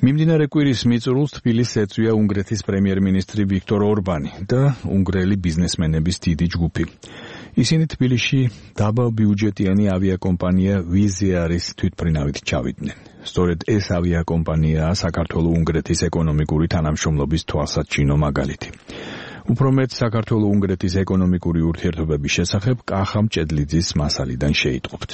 მიმდინარე კვირის მიწურულს თბილისს ეწვია უნგრეთის პრემიერ-მინისტრი ვიქტორ ორბანი და უნგრელი ბიზნესმენების დიდი ჯგუფი. ისინი თბილისში დაბალბიუჯეტიანი ავიაკომპანია Wizz Air-ის თვითმფრინავით ჩავიდნენ. სწორედ ეს ავიაკომპანიაა საქართველო-უნგრეთის ეკონომიკური თანამშრომლობის თვალსაჩინო მაგალითი. უფრო მეტ საქართველო-უნგრეთის ეკონომიკური ურთიერთობების შესახებ კახა მჭედლიძის მასალიდან შეიტყობთ.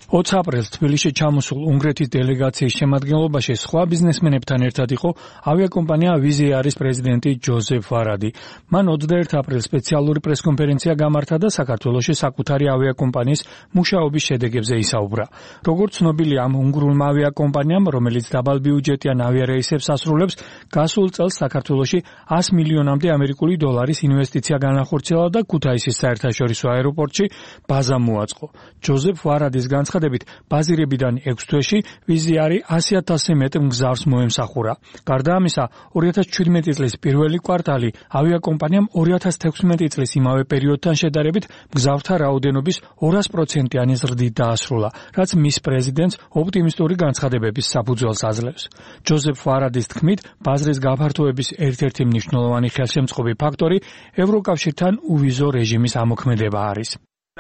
20 აპრილს თბილისში ჩამოსულ უნგრეთის დელეგაციის შემადგენლობაში სხვა ბიზნესმენებთან ერთად იყო ავიაკომპანია Wizz Air-ის პრეზიდენტი ჯოზეფ ვარადი. მან 21 აპრილს სპეციალური პრესკონფერენცია გამართა და საქართველოში საკუთარი ავიაკომპანიის მუშაობის შედეგებზე ისაუბრა. როგორც ცნობილია, ამ უნგრულმა ავიაკომპანიამ, რომელიც დაბალბიუჯეტიან ავიარეისებს ასრულებს, გასულ წელს საქართველოში 100 მილიონამდე ამერიკული დოლარის ინვესტიცია განახორციელა და ქუთაისის საერთაშორისო აეროპორტში ბაზა მოაწყო. ჯოზეფ ვარადის ბაზირებიდან 6 თვეში Wizz Air 100,000-ზე მეტ მგზავრს მოემსახურა. გარდა ამისა, 2017 წლის პირველი კვარტალი ავიაკომპანიამ 2016 წლის იმავე პერიოდთან შედარებით მგზავრთა რაოდენობის 200%-იანი ზრდით დაასრულა, რაც მის პრეზიდენტს ოპტიმისტური განცხადებების საფუძველს აძლევს. ჯოზეფ ვარადის თქმით, ბაზრის გაფართოების ერთ-ერთი მნიშვნელოვანი ხელშემწყობი ფაქტორი ევროკავშირთან უვიზო რეჟიმის ამოქმედება არის.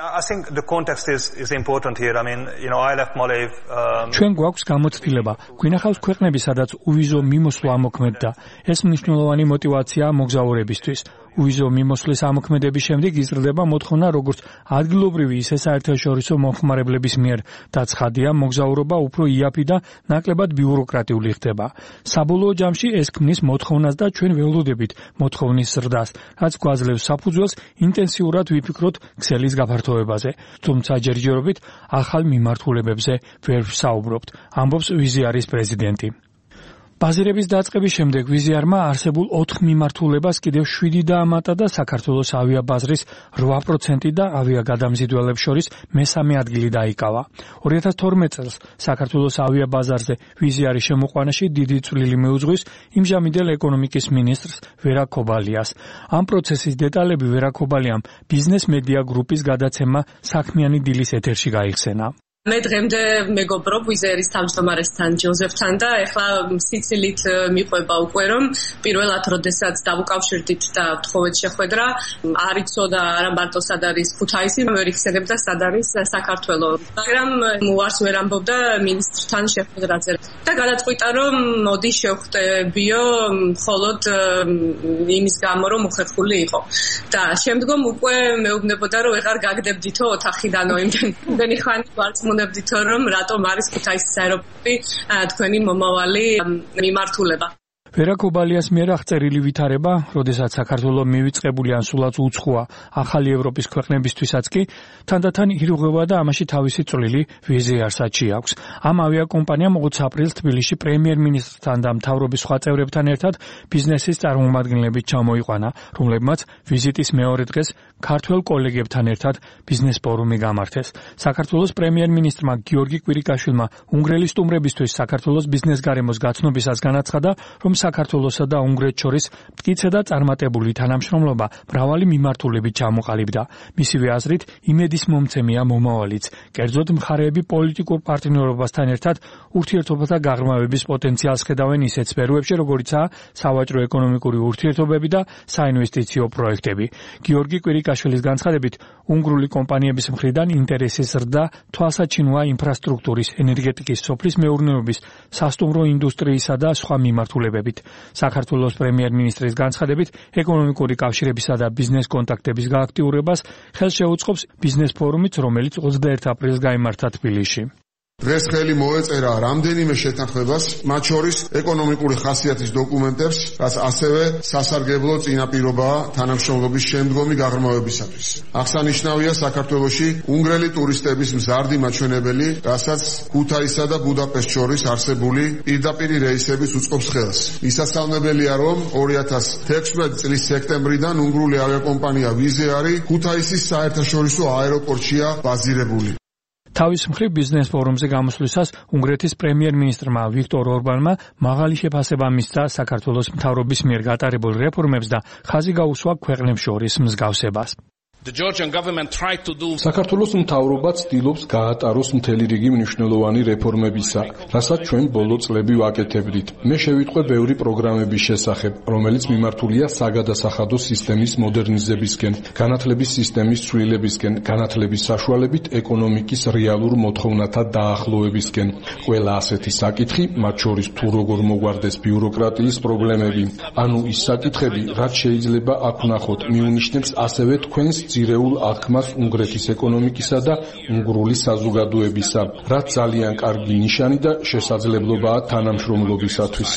I think the context is important here. I mean, I left Malev. ჩვენ გვაქვს გამოცდილება. გვინახავს ქვეყნები, სადაც უვიზო მიმოსვლა ამოქმედდა. ეს მნიშვნელოვანი мотиваციაა მოგზაურებისთვის. უვიზო მიმოსვლის ამოქმედების შემდეგ იზრდება მოთხოვნა როგორც ადგილობრივი, ისე საერთაშორისო მომხმარებლების მიერ და ცხადია, მოგზაურობა უფრო იაფი და ნაკლებად ბიუროკრატიული ხდება. საბოლოო ჯამში ეს ქმნის მოთხოვნას და ჩვენ ველოდებით მოთხოვნის ზრდას, რაც გვაძლევს საფუძველს ინტენსიურად ვიფიქროთ ქსელის გაფართოებაზე. თუმცა ჯერჯერობით ახალ მიმართულებებზე ვერ ვსაუბრობთ, ამბობს Wizz Air-ის პრეზიდენტი. ბაზირების დაწყების შემდეგ Wizz Air-მა არსებულ 4 მიმართულებას კიდევ 7 დაამატა და საქართველოს ავიაბაზრის 8% და ავიაგადამზიდველებს შორის მესამე ადგილი დაიკავა. 2012 წელს საქართველოს ავიაბაზარზე Wizz Air-ის შემოყვანაში დიდი წვლილი მიუძღვის იმჟამინდელ ეკონომიკის მინისტრს ვერა ქობალიას. ამ პროცესის დეტალები ვერა ქობალიამ ბიზნეს მედია გრუპის გადაცემა საქმიანი დილის ეთერში გაიხსენა. მე დღემდე მეგობრობ Wizz Air-ის თავმჯდომარესთან ჯოზეფთან და ეხლა სიცილით მიყვება უკვე რომ პირველად როდესაც დავუკავშირდით და თხოვეთ შეხვედრა არ იცოდა არა მარტო სად არის ქუთაისი, ვერ იხსენებდა სად არის საქართველო. მაგრამ უარს ვერ ამბობდა მინისტრთან შეხვედრაზე და გადაწყვიტა რომ მოდი შევხვდებიო მხოლოდ იმის გამო რომ უხერხული იყო. და შემდგომ უკვე მეუბნებოდა რომ ეღარ გაგდებდითო ოთახიდანო იმდენი ხანი ვარც მუნებდით რომ რატომ არის ქუთაისის აეროპორტი თქვენი მომავალი მიმართულება. ვერა ქობალიას მიერ აღწერილი ვითარება, როდესაც საქართველო მივიწყებული ან სულაც უცხოა ახალი ევროპის ქვეყნებისთვისაც კი თანდათან ირღვევა და ამაში თავისი წვლილი Wizz Air-საც აქვს. ამ ავიაკომპანიამ 20 აპრილს თბილისში პრემიერ-მინისტრთან და მთავრობის სხვა წევრებთან ერთად ბიზნესის წარმომადგენლებით ჩამოიყვანა, რომლებმაც ვიზიტის მეორე დღეს ქართველ კოლეგებთან ერთად ბიზნეს ფორუმი გამართეს. საქართველოს პრემიერ-მინისტრმა გიორგი კვირიკაშვილმა უნგრელი სტუმრებისთვის საქართველოს ბიზნეს გარემოს გაცნობისას განაცხადა, რომ საქართველოსა და უნგრეთს შორის მტკიცე და წარმატებული თანამშრომლობა მრავალი მიმართულებით ჩამოყალიბდა. მისივე აზრით, იმედის მომცემია მომავალიც. კერძოდ მხარეები პოლიტიკურ პარტნიორობასთან ერთად ურთიერთობათა გაღრმავების პოტენციალს ხედავენ ისეთ სფეროებში, როგორიცაა სავაჭრო ეკონომიკური ურთიერთობები და საინვესტიციო პროექტები. გიორგი კვირიკაშვილის განცხადებით, უნგრული კომპანიების მხრიდან ინტერესის ზრდა თვალსაჩინოა ინფრასტრუქტურის, ენერგეტიკის, სოფლის მეურნეობის, სასტუმრო ინდუსტრიისა და სხვა მიმართულებებით. საქართველოს პრემიერ-მინისტრის განცხადებით, ეკონომიკური კავშირებისა და ბიზნეს კონტაქტების გააქტიურებას ხელს შეუწყობს ბიზნეს ფორუმიც, რომელიც 21 აპრილს გაიმართა თბილისში. დღეს ხელი მოეწერა რამდენიმე შეთანხმებას, მათ შორის ეკონომიკური ხასიათის დოკუმენტებს, რაც ასევე სასარგებლო წინაპირობაა თანამშრომლობის შემდგომი გაღრმავებისათვის. აღსანიშნავია საქართველოში უნგრელი ტურისტების მზარდი მაჩვენებელი, რასაც ქუთაისსა და ბუდაპეშტს შორის არსებული პირდაპირი რეისების უწყობს ხელს. მისასალმებელია, რომ 2016 წლის სექტემბრიდან უნგრული ავიაკომპანია Wizz Air ქუთაისის საერთაშორისო აეროპორტშია ბაზირებული. თავის მხრივ ბიზნეს ფორუმზე გამოსვლისას უნგრეთის პრემიერ-მინისტრმა ვიქტორ ორბანმა მაღალი შეფასება მისცა საქართველოს მთავრობის მიერ გატარებულ რეფორმებს და ხაზი გაუსვა ქვეყნებს შორის მსგავსებას. საქართველოს მთავრობა ცდილობს გაატაროს მთელი რიგი მნიშვნელოვანი რეფორმებისა, რასაც ჩვენ ბოლო წლები ვაკეთებდით. მე შევიტყვე ბევრი პროგრამების შესახებ, რომელიც მიმართულია საგადასახადო სისტემის მოდერნიზებისკენ, განათლების სისტემის ცვლილებისკენ, განათლების საშუალებით ეკონომიკის რეალურ მოთხოვნათა დაახლოებისკენ. ყველა ასეთი საკითხი, მათ შორის თუ როგორ მოგვარდეს ბიუროკრატიის პრობლემები, ანუ ის საკითხები, რაც შეიძლება აქ ვნახოთ, მიუნიშნებს ასევე თქვენს ძირეულ აღქმას უნგრეთის ეკონომიკისა და უნგრული საზოგადოებისა, რაც ძალიან კარგი ნიშანი და შესაძლებლობაა თანამშრომლობისათვის.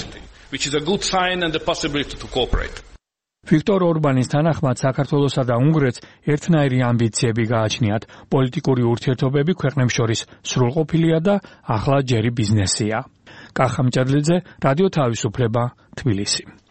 ვიქტორ ორბანის თანახმად საქართველოსა და უნგრეთს ერთნაირი ამბიციები გააჩნიათ. პოლიტიკური ურთიერთობები ქვეყნებს შორის სრულყოფილია და ახლა ჯერი ბიზნესია. კახა მჭედლიძე, რადიო თავისუფლება, თბილისი.